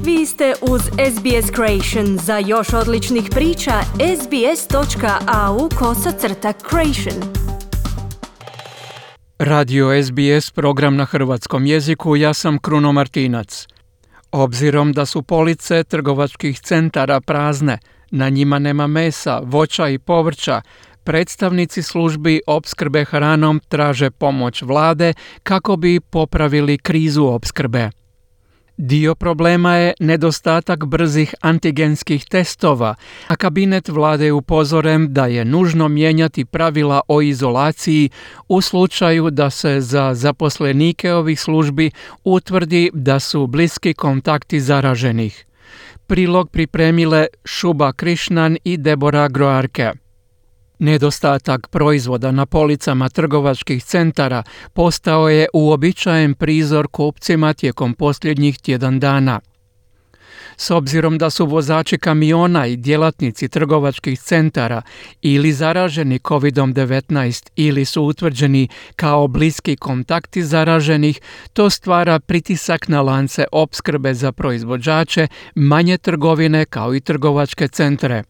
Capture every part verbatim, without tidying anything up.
Vi ste uz S B S Creation. Za još odličnih priča, sbs.au kosacrta creation. Radio S B S, program na hrvatskom jeziku, ja sam Kruno Martinac. Obzirom da su police trgovačkih centara prazne, na njima nema mesa, voća i povrća, predstavnici službi opskrbe hranom traže pomoć vlade kako bi popravili krizu opskrbe. Dio problema je nedostatak brzih antigenskih testova, a kabinet vlade je upozoren da je nužno mijenjati pravila o izolaciji u slučaju da se za zaposlenike ovih službi utvrdi da su bliski kontakti zaraženih. Prilog pripremile Šuba Krišnan i Debora Groarke. Nedostatak proizvoda na policama trgovačkih centara postao je uobičajen prizor kupcima tijekom posljednjih tjedan dana. S obzirom da su vozači kamiona i djelatnici trgovačkih centara ili zaraženi kovid devetnaest ili su utvrđeni kao bliski kontakti zaraženih, to stvara pritisak na lance opskrbe za proizvođače, manje trgovine kao i trgovačke centre.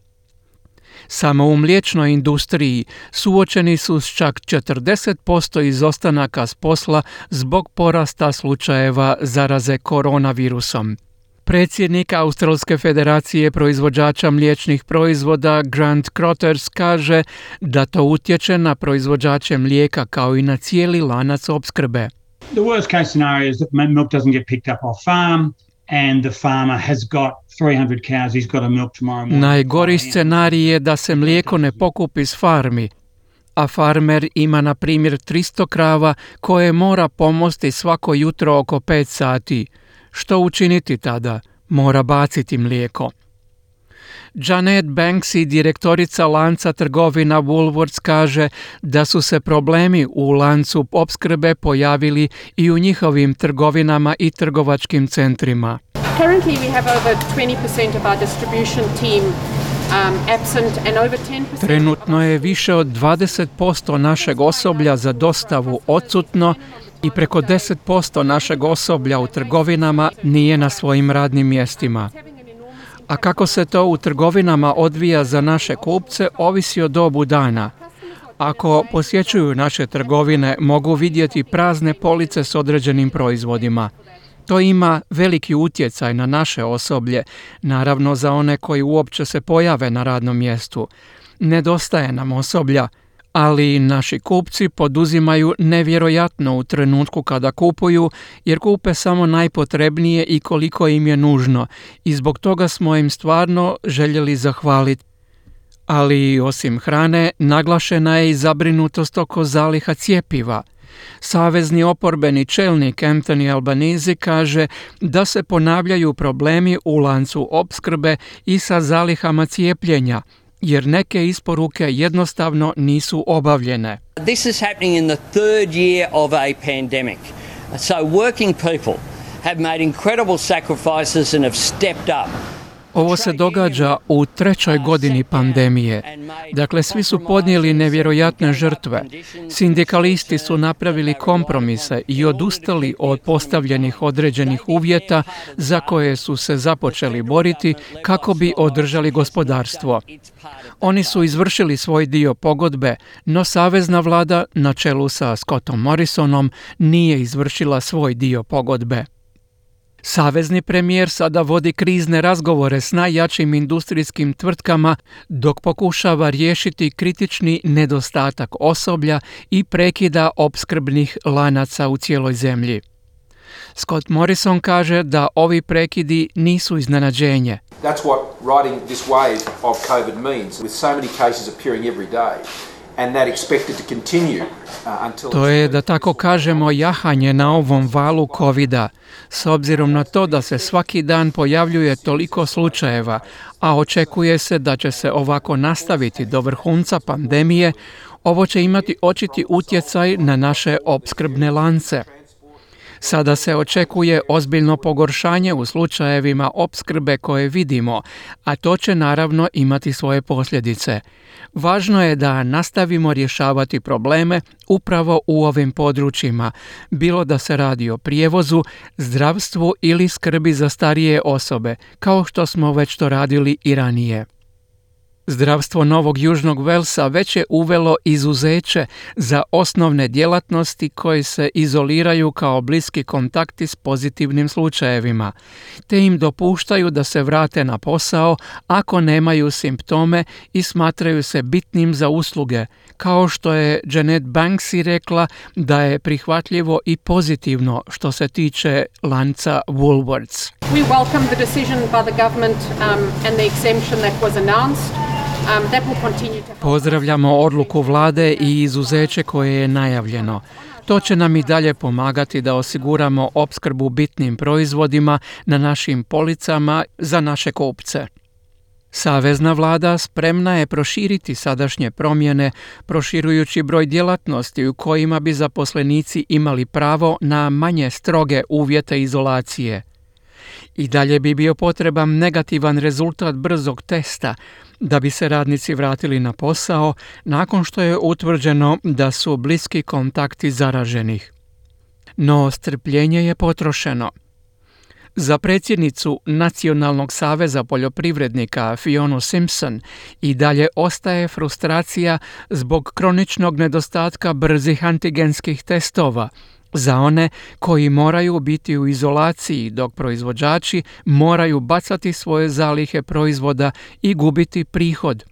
Samo u mliječnoj industriji suočeni su s čak četrdeset posto izostanaka s posla zbog porasta slučajeva zaraze koronavirusom. Predsjednik Australske federacije proizvođača mliječnih proizvoda Grant Crothers kaže da to utječe na proizvođače mlijeka kao i na cijeli lanac opskrbe. The worst case scenario is that milk doesn't get picked up off farm and the farmer has got three hundred cows, he's got to milk tomorrow morning. Najgori scenarij je da se mlijeko ne pokupi s farmi, a farmer ima na primjer tristo krava koje mora pomosti svako jutro oko pet sati. Što učiniti tada? Mora baciti mlijeko. Janet Banksy, direktorica lanca trgovina Woolworths, kaže da su se problemi u lancu opskrbe pojavili i u njihovim trgovinama i trgovačkim centrima. Currently we have over twenty percent of our distribution team um, absent and over ten percent. Trenutno je više od dvadeset posto našeg osoblja za dostavu odsutno i preko deset posto našeg osoblja u trgovinama nije na svojim radnim mjestima. A kako se to u trgovinama odvija za naše kupce, ovisi o dobu dana. Ako posjećuju naše trgovine, mogu vidjeti prazne police s određenim proizvodima. To ima veliki utjecaj na naše osoblje, naravno za one koji uopće se pojave na radnom mjestu. Nedostaje nam osoblja, ali naši kupci poduzimaju nevjerojatno u trenutku kada kupuju, jer kupe samo najpotrebnije i koliko im je nužno, i zbog toga smo im stvarno željeli zahvaliti. Ali osim hrane, naglašena je i zabrinutost oko zaliha cjepiva. Savezni oporbeni čelnik Anthony Albanese kaže da se ponavljaju problemi u lancu opskrbe i sa zalihama cijepljenja, jer neke isporuke jednostavno nisu obavljene. This is happening in the third year of a pandemic. So working people have made incredible sacrifices and have stepped up. Ovo se događa u trećoj godini pandemije. Dakle, svi su podnijeli nevjerojatne žrtve. Sindikalisti su napravili kompromise i odustali od postavljenih određenih uvjeta za koje su se započeli boriti kako bi održali gospodarstvo. Oni su izvršili svoj dio pogodbe, no savezna vlada na čelu sa Scottom Morrisonom nije izvršila svoj dio pogodbe. Savezni premijer sada vodi krizne razgovore s najjačim industrijskim tvrtkama dok pokušava riješiti kritični nedostatak osoblja i prekida opskrbnih lanaca u cijeloj zemlji. Scott Morrison kaže da ovi prekidi nisu iznenađenje. That's what riding this wave of COVID means, with so many cases appearing every day. And that expected to continue, uh, until to je, da tako kažemo, jahanje na ovom valu covida. S obzirom na to da se svaki dan pojavljuje toliko slučajeva, a očekuje se da će se ovako nastaviti do vrhunca pandemije, ovo će imati očiti utjecaj na naše opskrbne lance. Sada se očekuje ozbiljno pogoršanje u slučajevima opskrbe koje vidimo, a to će naravno imati svoje posljedice. Važno je da nastavimo rješavati probleme upravo u ovim područjima, bilo da se radi o prijevozu, zdravstvu ili skrbi za starije osobe, kao što smo već to radili i ranije. Zdravstvo Novog Južnog Velsa već je uvelo izuzeće za osnovne djelatnosti koje se izoliraju kao bliski kontakti s pozitivnim slučajevima, te im dopuštaju da se vrate na posao ako nemaju simptome i smatraju se bitnim za usluge, kao što je Janet Banksy rekla da je prihvatljivo i pozitivno što se tiče lanca Woolworths. We welcome the decision by the government um, and the exemption that was announced. Um, that will continue to... Pozdravljamo odluku vlade i izuzeće koje je najavljeno. To će nam i dalje pomagati da osiguramo opskrbu bitnim proizvodima na našim policama za naše kupce. Savezna vlada spremna je proširiti sadašnje promjene, proširujući broj djelatnosti u kojima bi zaposlenici imali pravo na manje stroge uvjete izolacije. I dalje bi bio potreban negativan rezultat brzog testa da bi se radnici vratili na posao nakon što je utvrđeno da su bliski kontakti zaraženih. No strpljenje je potrošeno. Za predsjednicu Nacionalnog saveza poljoprivrednika Fionu Simpson i dalje ostaje frustracija zbog kroničnog nedostatka brzih antigenskih testova za one koji moraju biti u izolaciji dok proizvođači moraju bacati svoje zalihe proizvoda i gubiti prihod.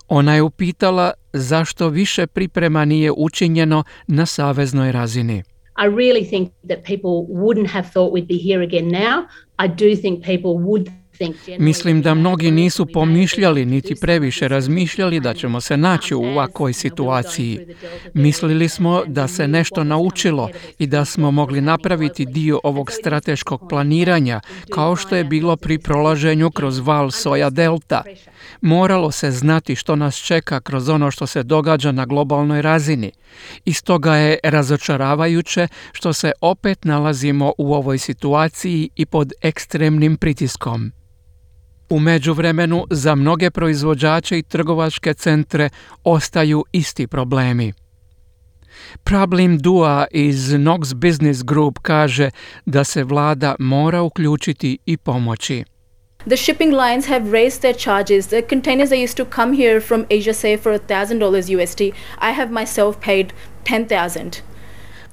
Ona je upitala zašto više priprema nije učinjeno na saveznoj razini. I really think that people wouldn't have thought we'd be here again now. I do think people would think generally... Mislim da mnogi nisu pomišljali niti previše razmišljali da ćemo se naći u ovakvoj situaciji. Mislili smo da se nešto naučilo i da smo mogli napraviti dio ovog strateškog planiranja, kao što je bilo pri prolaženju kroz val soja delta. Moralo se znati što nas čeka kroz ono što se događa na globalnoj razini. I stoga je razočaravajuće što se opet nalazimo u ovoj situaciji i pod ekstremnim pritiskom. U međuvremenu za mnoge proizvođače i trgovačke centre ostaju isti problemi. Problem Dua iz Knox Business Group kaže da se vlada mora uključiti i pomoći. The shipping lines have raised their charges. The containers that used to come here from Asia, say, for one thousand dollars U S D, I have myself paid ten thousand dollars.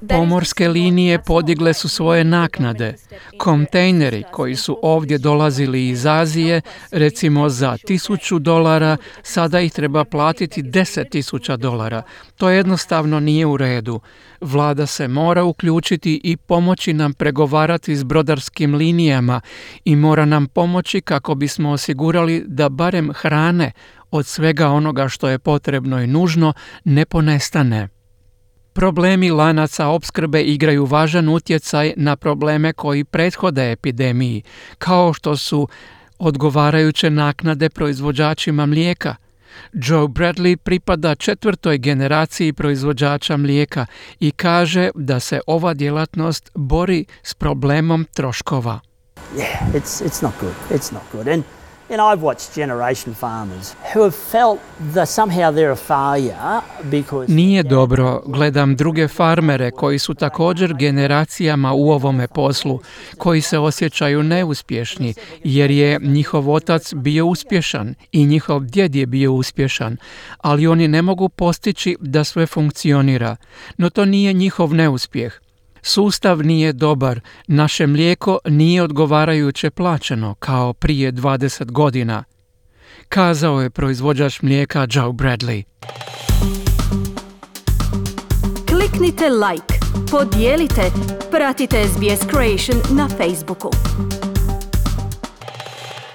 Pomorske linije podigle su svoje naknade. Kontejneri koji su ovdje dolazili iz Azije, recimo za tisuću dolara, sada ih treba platiti deset tisuća dolara. To jednostavno nije u redu. Vlada se mora uključiti i pomoći nam pregovarati s brodarskim linijama i mora nam pomoći kako bismo osigurali da barem hrane od svega onoga što je potrebno i nužno ne ponestane. Problemi lanaca opskrbe igraju važan utjecaj na probleme koji prethode epidemiji, kao što su odgovarajuće naknade proizvođačima mlijeka. Joe Bradley pripada četvrtoj generaciji proizvođača mlijeka i kaže da se ova djelatnost bori s problemom troškova. Yeah, it's it's not good. It's not good. And And I've watched generation farmers who have felt that somehow they're a failure because... Nije dobro, gledam druge farmere koji su također generacijama u ovome poslu, koji se osjećaju neuspješni, jer je njihov otac bio uspješan i njihov djed je bio uspješan, ali oni ne mogu postići da sve funkcionira. No to nije njihov neuspjeh. Sustav nije dobar, naše mlijeko nije odgovarajuće plaćeno kao prije dvadeset godina, kazao je proizvođač mlijeka Joe Bradley. Kliknite like, podijelite, pratite S B S Creation na Facebooku.